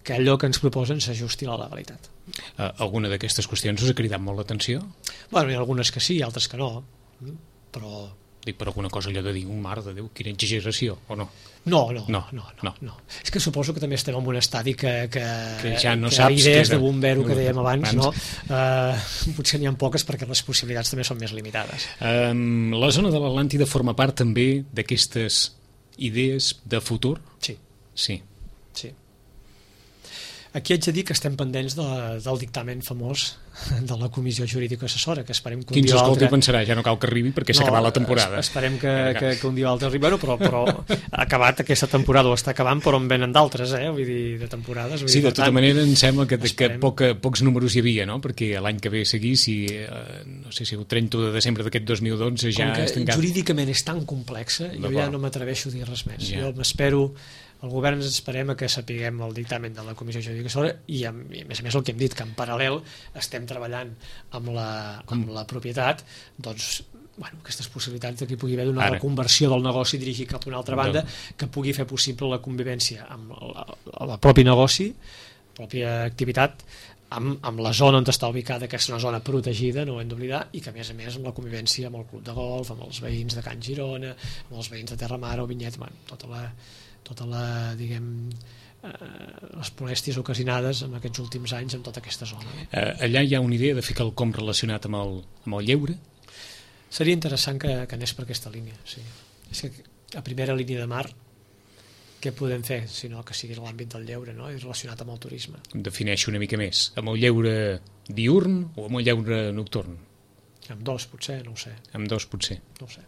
Speaker 3: que allò que ens proposen s'ajusti a la legalitat.
Speaker 2: Uh, alguna d'aquestes qüestions us ha cridat molt l'atenció?
Speaker 3: Bueno, hi ha algunes que sí, altres que no, però
Speaker 2: Dic, per alguna cosa allò de dir, un mar de Déu, quina exageració, o no?
Speaker 3: No, no,
Speaker 2: No,
Speaker 3: no, no,
Speaker 2: no.
Speaker 3: no. És que suposo que també estem en un estadi que, que,
Speaker 2: Que ja no
Speaker 3: que
Speaker 2: saps
Speaker 3: idees
Speaker 2: què
Speaker 3: de
Speaker 2: de-
Speaker 3: bombero que dèiem abans,
Speaker 2: abans.
Speaker 3: no? Uh, potser n'hi ha poques perquè les possibilitats també són més limitades.
Speaker 2: Um, la zona de l'Atlàntida forma part també d'aquestes idees de futur?
Speaker 3: Sí,
Speaker 2: Sí.
Speaker 3: sí. Aquí haig de dir que estem pendents de, del dictamen famós de la Comissió Jurídica Assessora, que esperem que un
Speaker 2: Qui ens
Speaker 3: dia o
Speaker 2: escolti
Speaker 3: altre...
Speaker 2: pensarà, ja no cal que arribi perquè s'ha acabat la temporada.
Speaker 3: es- Esperem que, que, que un dia o altre arribi, bueno, però, però ha acabat aquesta temporada o està acabant, però en venen d'altres, eh? Vull dir, de temporades. Vull
Speaker 2: Sí,
Speaker 3: dir,
Speaker 2: de
Speaker 3: per
Speaker 2: tota
Speaker 3: tant,
Speaker 2: manera em sembla que, que
Speaker 3: esperem.
Speaker 2: poca, pocs números hi havia, no? Perquè l'any que ve a seguir, si, eh, no sé si el trenta de desembre d'aquest dos mil dotze ja
Speaker 3: com que
Speaker 2: és tancat.
Speaker 3: jurídicament és tan complexa, jo ja
Speaker 2: D'acord.
Speaker 3: no m'atreveixo a dir res més.
Speaker 2: Ja.
Speaker 3: Jo m'espero, el govern ens esperem a que sapiguem el dictamen de la Comissió Jurídica Assessora i, a, i a més a més el que hem dit, que en paral·lel estem treballant amb la, amb la propietat, doncs bueno, aquestes possibilitats de que hi pugui haver una
Speaker 2: Ara.
Speaker 3: reconversió del negoci dirigit cap a una altra banda que pugui fer possible la convivència amb la, el propi negoci, pròpia activitat, amb, amb la zona on està ubicada, que és una zona protegida, no ho hem d'oblidar, i que a més a més amb la convivència amb el club de golf, amb els veïns de Can Girona, amb els veïns de Terramar o Vinyet, bueno, tota la, tota la, diguem, eh, les molèsties ocasionades en aquests últims anys en tota aquesta zona.
Speaker 2: Eh, allà hi ha una idea de fer quelcom relacionat amb el, amb el lleure?
Speaker 3: Seria interessant que, que anés per aquesta línia, sí. És que a primera línia de mar què podem fer, sinó que sigui l'àmbit del lleure, no? I relacionat amb el turisme.
Speaker 2: Em defineixo una mica més. Amb el lleure diurn o amb el lleure nocturn?
Speaker 3: Amb dos, potser, no ho sé,
Speaker 2: Amb dos, potser.
Speaker 3: no ho sé.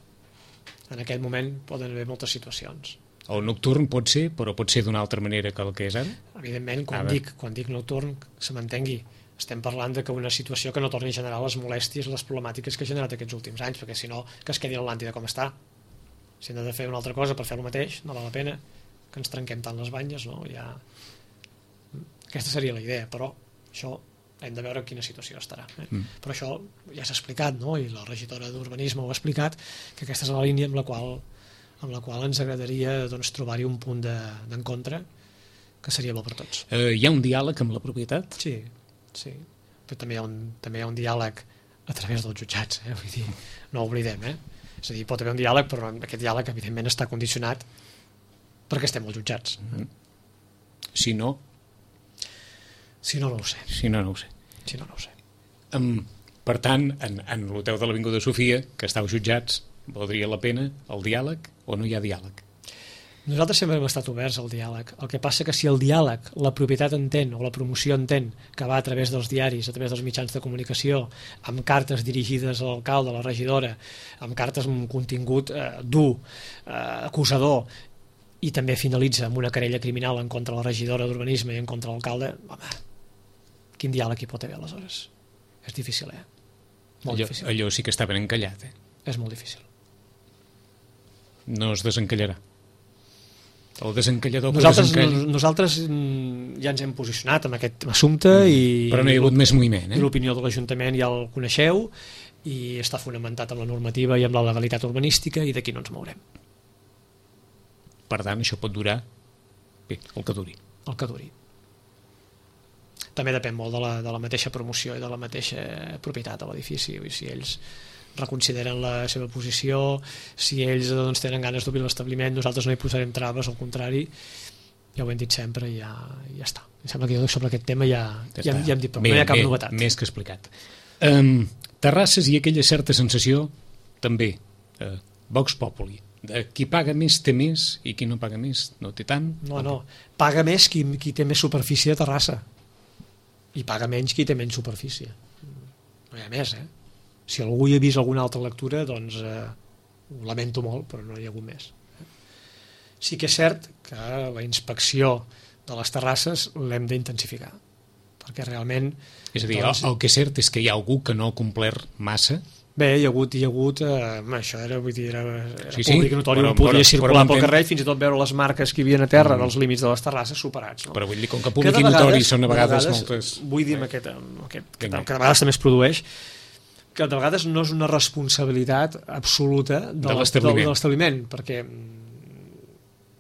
Speaker 3: En aquest moment poden haver moltes situacions.
Speaker 2: El nocturn pot ser, però pot ser d'una altra manera que el que és ara?
Speaker 3: Evidentment, quan
Speaker 2: A veure.
Speaker 3: dic, quan dic nocturn, que se m'entengui, estem parlant de que una situació que no torni a generar les molèsties, les problemàtiques que ha generat aquests últims anys, perquè si no, que es quedi l'Atlàntida com està. Si hem de fer una altra cosa per fer el mateix, no val la pena que ens trenquem tant les banyes, no? Ja... Aquesta seria la idea, però això hem de veure en quina situació estarà. Eh? Mm. Però això ja s'ha explicat, no? I la regidora d'Urbanisme ho ha explicat, que aquesta és la línia amb la qual, amb la qual ens agradaria doncs, trobar-hi un punt d'encontre que seria bo per tots.
Speaker 2: Eh, hi ha un diàleg amb la propietat?
Speaker 3: Sí, sí, però també hi ha un, també hi ha un diàleg a través dels jutjats, eh? Vull dir, no ho oblidem, eh? És a dir, pot haver un diàleg, però aquest diàleg evidentment està condicionat perquè estem als jutjats.
Speaker 2: Mm-hmm. Si no?
Speaker 3: Si no, no ho sé.
Speaker 2: Si no, no ho sé.
Speaker 3: Si no, no ho sé.
Speaker 2: Um, per tant, en, en l'hotel de l'Avinguda Sofia, que està als jutjats, valdria la pena el diàleg o no hi ha diàleg?
Speaker 3: Nosaltres sempre hem estat oberts al diàleg. El que passa que si el diàleg, la propietat entén, o la promoció entén, que va a través dels diaris, a través dels mitjans de comunicació, amb cartes dirigides a l'alcalde, a la regidora, amb cartes amb un contingut eh, dur, eh, acusador, i també finalitza amb una querella criminal en contra de la regidora d'Urbanisme i en contra de l'alcalde, home, quin diàleg hi pot haver aleshores? És difícil, eh? Molt
Speaker 2: allò,
Speaker 3: difícil.
Speaker 2: Allò sí que està ben encallat, eh?
Speaker 3: És molt difícil.
Speaker 2: No es desencallarà. El desencallador
Speaker 3: nosaltres,
Speaker 2: desencalli...
Speaker 3: nosaltres ja ens hem posicionat en aquest assumpte mm. i,
Speaker 2: però no hi ha hagut més moviment, eh?
Speaker 3: I l'opinió de l'Ajuntament ja el coneixeu i està fonamentat amb la normativa i amb la legalitat urbanística i d'aquí no ens mourem.
Speaker 2: Per tant, això pot durar bé, el que duri.
Speaker 3: El que duri. També depèn molt de la, de la mateixa promoció i de la mateixa propietat de l'edifici. Si ells reconsideren la seva posició, si ells doncs, tenen ganes d'obrir l'establiment, nosaltres no hi posarem traves, al contrari, ja ho hem dit sempre i ja, ja està. Em sembla que jo sobre aquest tema ja, ja, ja, ja hem dit, però bé, no hi ha cap
Speaker 2: bé,
Speaker 3: novetat.
Speaker 2: Més que explicat. Um, Terrasses i aquella certa sensació, també, uh, Vox Populi, de qui paga més té més i qui no paga més no té tant.
Speaker 3: No, no, paga més qui, qui té més superfície a Terrassa i paga menys qui té menys superfície. No hi ha més, eh? Si algú hi ha vist alguna altra lectura, doncs eh, ho lamento molt, però no hi ha hagut més. Sí que és cert que la inspecció de les terrasses l'hem d'intensificar, perquè realment...
Speaker 2: És a dir,
Speaker 3: doncs,
Speaker 2: el que és cert és que hi ha algú que no ha complert massa.
Speaker 3: Bé, hi ha hagut, hi ha hagut eh, això era, vull dir, era, era
Speaker 2: sí,
Speaker 3: públic
Speaker 2: sí,
Speaker 3: notori,
Speaker 2: però,
Speaker 3: on podia
Speaker 2: però,
Speaker 3: circular
Speaker 2: però
Speaker 3: pel carrer, fins i tot veure les marques que hi havia a terra mm. dels límits de les terrasses superats. No?
Speaker 2: Però vull dir, com que públic i notori són a vegades, vegades moltes...
Speaker 3: Vull dir, aquest, aquest, que, que de vegades també es produeix, que de vegades no és una responsabilitat absoluta de,
Speaker 2: de
Speaker 3: l'establiment, perquè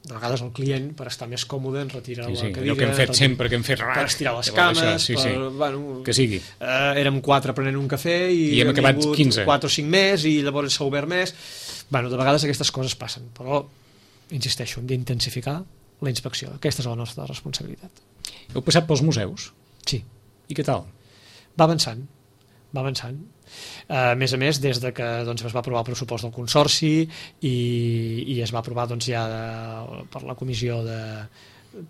Speaker 3: de vegades el client, per estar més còmode, ens retira sí, sí, la cadira,
Speaker 2: que hem fet sempre, que hem fet
Speaker 3: per estirar les cames, això, sí, sí. Per, bueno,
Speaker 2: que sigui.
Speaker 3: Eh, érem quatre prenent un cafè i,
Speaker 2: I hem acabat quinze.
Speaker 3: quatre o cinc més i llavors s'ha obert més. Bueno, de vegades aquestes coses passen, però insisteixo, hem d'intensificar la inspecció. Aquesta és la nostra responsabilitat.
Speaker 2: Heu passat pels museus?
Speaker 3: Sí.
Speaker 2: I què tal?
Speaker 3: Va avançant, va avançant. A més a més, des de que doncs, es va aprovar el pressupost del Consorci i, i es va aprovar doncs, ja de, per la Comissió de,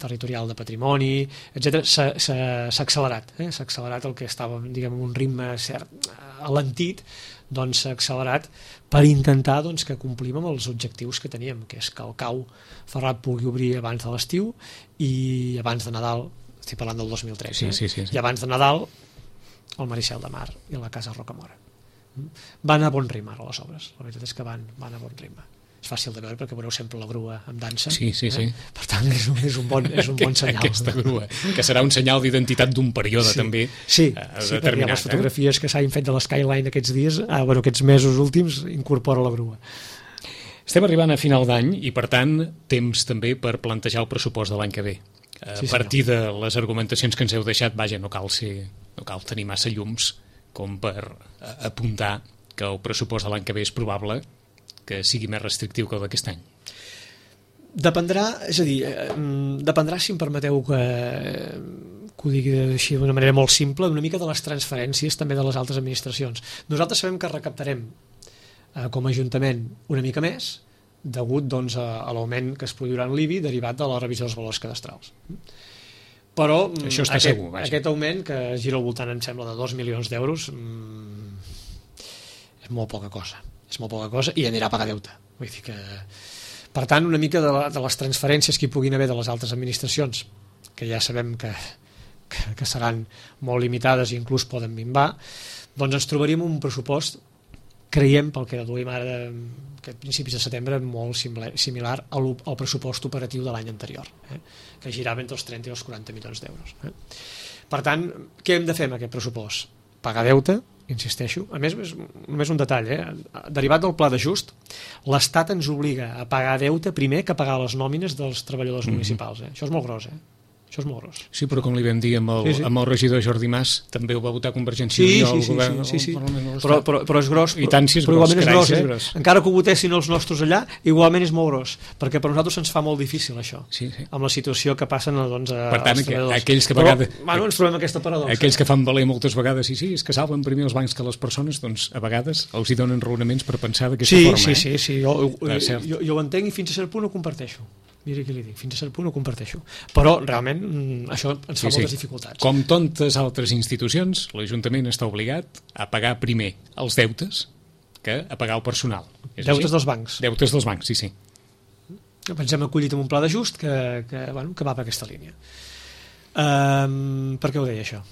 Speaker 3: Territorial de Patrimoni, etcètera, s'ha accelerat. Eh? S'ha accelerat el que estava, diguem, un ritme cert, alentit, doncs s'ha accelerat per intentar doncs, que complim amb els objectius que teníem, que és que el Cau Ferrat pugui obrir abans de l'estiu i abans de Nadal, estic parlant del dos mil tres,
Speaker 2: sí,
Speaker 3: eh?
Speaker 2: sí, sí, sí.
Speaker 3: I abans de Nadal el Maricel de Mar i la Casa Rocamora. Van a bon ritme les obres, la veritat és que van, van a bon ritme. És fàcil de veure perquè veureu sempre la grua amb dansa.
Speaker 2: Sí, sí, sí.
Speaker 3: Eh? Per tant, és un, és un, bon, és un bon senyal.
Speaker 2: Aquesta grua, que serà un senyal d'identitat d'un període
Speaker 3: sí.
Speaker 2: també
Speaker 3: sí,
Speaker 2: eh,
Speaker 3: sí,
Speaker 2: determinat.
Speaker 3: Les fotografies eh? que s'han fet de l'Skyline aquests dies, ah, bueno, aquests mesos últims, incorpora la grua.
Speaker 2: Estem arribant a final d'any i, per tant, temps també per plantejar el pressupost de l'any que ve. A sí, partir de les argumentacions que ens heu deixat, vaja, no cal ser, no cal tenir massa llums com per apuntar que el pressupost de l'any que ve és probable que sigui més restrictiu que el d'aquest any.
Speaker 3: Dependrà, és a dir, dependrà, si em permeteu que, que ho digui així d'una manera molt simple, una mica de les transferències també de les altres administracions. Nosaltres sabem que recaptarem eh, com a Ajuntament una mica més, degut doncs, a, a l'augment que es produirà en l'I B I derivat de la revisió dels valors cadastrals. Però
Speaker 2: això està
Speaker 3: aquest,
Speaker 2: segur, vaja.
Speaker 3: Aquest augment, que gira al voltant, em sembla, de dos milions d'euros, mmm, és molt poca cosa. És molt poca cosa i anirà a pagar deute. Vull dir que... Per tant, una mica de, la, de les transferències que hi puguin haver de les altres administracions, que ja sabem que, que, que seran molt limitades i inclús poden minvar, doncs ens trobaríem un pressupost, creiem, pel que duim ara de, aquest principis de setembre, molt similar al, al pressupost operatiu de l'any anterior, eh? que girava entre els trenta i els quaranta milions d'euros. Eh? Per tant, què hem de fer amb aquest pressupost? Pagar deute, insisteixo. A més, només un detall, eh? Derivat del pla d'ajust, l'Estat ens obliga a pagar deute primer que pagar les nòmines dels treballadors mm-hmm. municipals. Eh? Això és molt gros, eh? Això és molt gros.
Speaker 2: Sí, però com li vam dir amb el, sí, sí. amb el regidor Jordi Mas, també ho va votar Convergència
Speaker 3: sí,
Speaker 2: i
Speaker 3: Unió,
Speaker 2: el
Speaker 3: sí,
Speaker 2: govern,
Speaker 3: sí, sí, sí.
Speaker 2: el Parlament de l'Estat.
Speaker 3: Però, però, però és gros,
Speaker 2: I tant si és
Speaker 3: però
Speaker 2: gros,
Speaker 3: igualment és gros, eh?
Speaker 2: gros.
Speaker 3: Encara que ho votessin els nostres allà, igualment és molt gros, perquè per nosaltres ens fa molt difícil això,
Speaker 2: sí, sí.
Speaker 3: amb la situació que passen doncs, a,
Speaker 2: per tant,
Speaker 3: als treballadors.
Speaker 2: Aquells que,
Speaker 3: però,
Speaker 2: vegades,
Speaker 3: bueno, ens trobem aquesta paradoxa.
Speaker 2: Aquells que fan valer moltes vegades, sí, sí, és que salven primer els bancs que les persones, doncs a vegades els hi donen raonaments per pensar d'aquesta
Speaker 3: sí,
Speaker 2: forma.
Speaker 3: Sí,
Speaker 2: eh?
Speaker 3: sí, sí, jo, jo, jo, jo ho entenc i fins a cert punt ho comparteixo. Mira què li dic, fins a cert punt ho comparteixo. Però realment això ens fa sí, moltes sí. dificultats.
Speaker 2: Com tantes altres institucions, l'Ajuntament està obligat a pagar primer els deutes que a pagar el personal. És
Speaker 3: deutes
Speaker 2: així?
Speaker 3: dels bancs.
Speaker 2: Deutes dels bancs, sí, sí.
Speaker 3: Ens hem acollit en un pla d'ajust que, que, bueno, que va per aquesta línia. Um, per què ho deia això?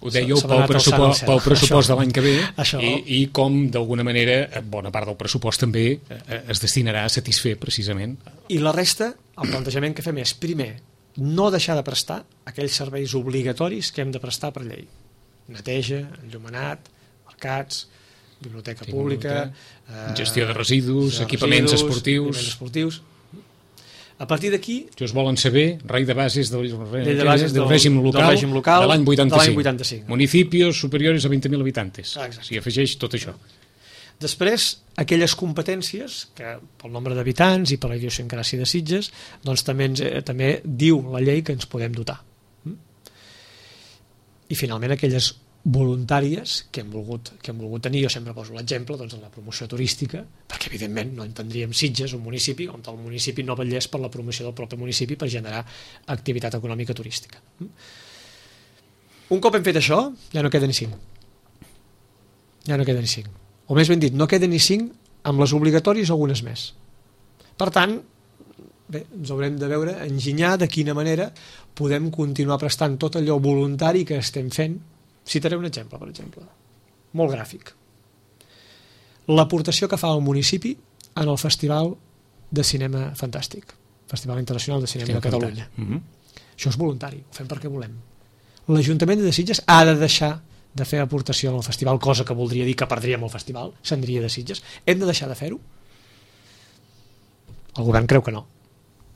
Speaker 2: Ho dèieu pel pressupost, pel pressupost de l'any que ve
Speaker 3: això.
Speaker 2: i, i com d'alguna manera bona part del pressupost també es destinarà a satisfer precisament.
Speaker 3: I la resta, el plantejament que fem és primer, no deixar de prestar aquells serveis obligatoris que hem de prestar per llei. Neteja, enllumenat, mercats, biblioteca pública,
Speaker 2: eh, gestió de residus, de equipaments residus, esportius.
Speaker 3: Equipaments esportius. A partir d'aquí...
Speaker 2: Si us volen saber, rei de bases del,
Speaker 3: de bases
Speaker 2: del, del, règim local,
Speaker 3: del règim local
Speaker 2: de l'any vuitanta-cinc.
Speaker 3: vuitanta-cinc.
Speaker 2: Municipios superiores a vint mil habitantes. S'hi afegeix tot això.
Speaker 3: Després, aquelles competències que pel nombre d'habitants i per la idiosincràsia de Sitges, doncs també, ens, eh, també diu la llei que ens podem dotar. I finalment aquelles voluntàries que hem volgut, que hem volgut tenir. Jo sempre poso l'exemple doncs, en la promoció turística, perquè evidentment no entendríem Sitges, un municipi, on el municipi no vetllés per la promoció del propi municipi per generar activitat econòmica turística. Un cop hem fet això, ja no queden ni cinc. Ja no queden ni cinc. O més ben dit, no queden ni cinc amb les obligatoris algunes més. Per tant, bé, ens haurem de veure, enginyar de quina manera podem continuar prestant tot allò voluntari que estem fent. Citaré un exemple, per exemple, molt gràfic. L'aportació que fa el municipi en el Festival de Cinema Fantàstic, Festival Internacional de Cinema de Catalunya. Mm-hmm. Això és voluntari, ho fem perquè volem. L'Ajuntament de Sitges ha de deixar de fer aportació al festival, cosa que voldria dir que perdríem el festival, s'aniria de Sitges. Hem de deixar de fer-ho? El govern creu que no.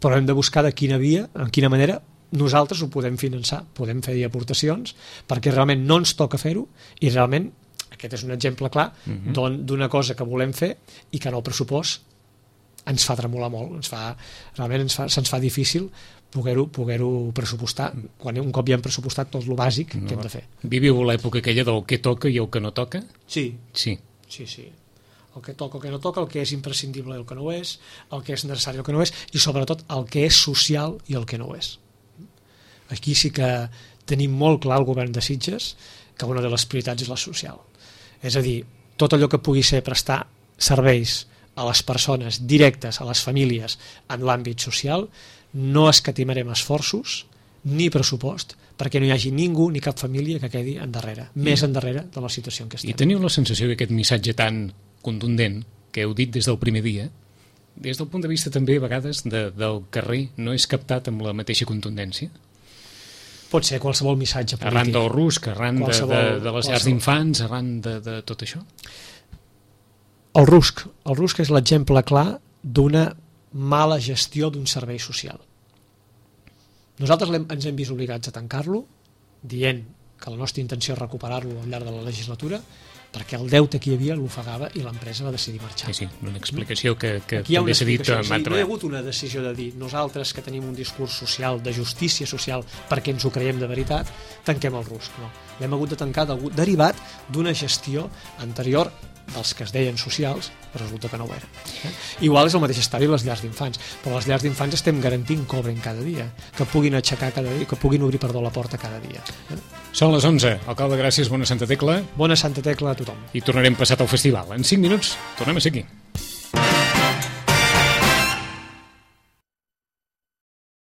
Speaker 3: Però hem de buscar de quina via, en quina manera nosaltres ho podem finançar, podem fer aportacions perquè realment no ens toca fer-ho i realment aquest és un exemple clar uh-huh. d'una cosa que volem fer i que en el pressupost ens fa tremolar molt, ens fa, realment ens fa, se'ns fa difícil poder-ho poder-ho pressupostar quan un cop ja hem pressupostat tot el bàsic no. que hem de fer.
Speaker 2: Viviu l'època aquella del que toca i el que no toca?
Speaker 3: Sí.
Speaker 2: Sí.
Speaker 3: Sí, sí. El que toca, el que no toca, el que és imprescindible i el que no ho és, el que és necessari i el que no ho és, i sobretot el que és social i el que no ho és. Aquí sí que tenim molt clar el govern de Sitges que una de les prioritats és la social. És a dir, tot allò que pugui ser prestar serveis a les persones directes, a les famílies en l'àmbit social, no escatimarem esforços ni pressupost perquè no hi hagi ningú ni cap família que quedi endarrere, I, més endarrere de la situació en què estem.
Speaker 2: I teniu la sensació que aquest missatge tan contundent que heu dit des del primer dia, des del punt de vista també a vegades de, del carrer, no és captat amb la mateixa contundència?
Speaker 3: Pot ser qualsevol missatge polític.
Speaker 2: Arran del rusc, arran de, de, de les llars d'infants, arran de, de tot això?
Speaker 3: El rusc. El rusc és l'exemple clar d'una mala gestió d'un servei social. Nosaltres hem, ens hem vist obligats a tancar-lo, dient que la nostra intenció és recuperar-lo al llarg de la legislatura, perquè el deute que hi havia l'ofegava i l'empresa va decidir marxar.
Speaker 2: Sí, sí, una explicació que, que
Speaker 3: també
Speaker 2: s'ha dit
Speaker 3: en altre. No hi ha hagut una decisió de dir nosaltres que tenim un discurs social, de justícia social, perquè ens ho creiem de veritat, tanquem el rusc. No, l'hem hagut de tancar derivat d'una gestió anterior dels que es deien socials, però resulta que no ho eren. Eh? Igual és el mateix estadi les llars d'infants, però les llars d'infants estem garantint que obrin cada dia, que puguin aixecar cada dia, que puguin obrir, perdó, la porta cada dia. Eh?
Speaker 2: Són les onze. Alcalde, gràcies, bona Santa Tecla.
Speaker 3: Bona Santa Tecla a tothom.
Speaker 2: I tornarem passat al festival. En cinc minuts tornem a ser aquí.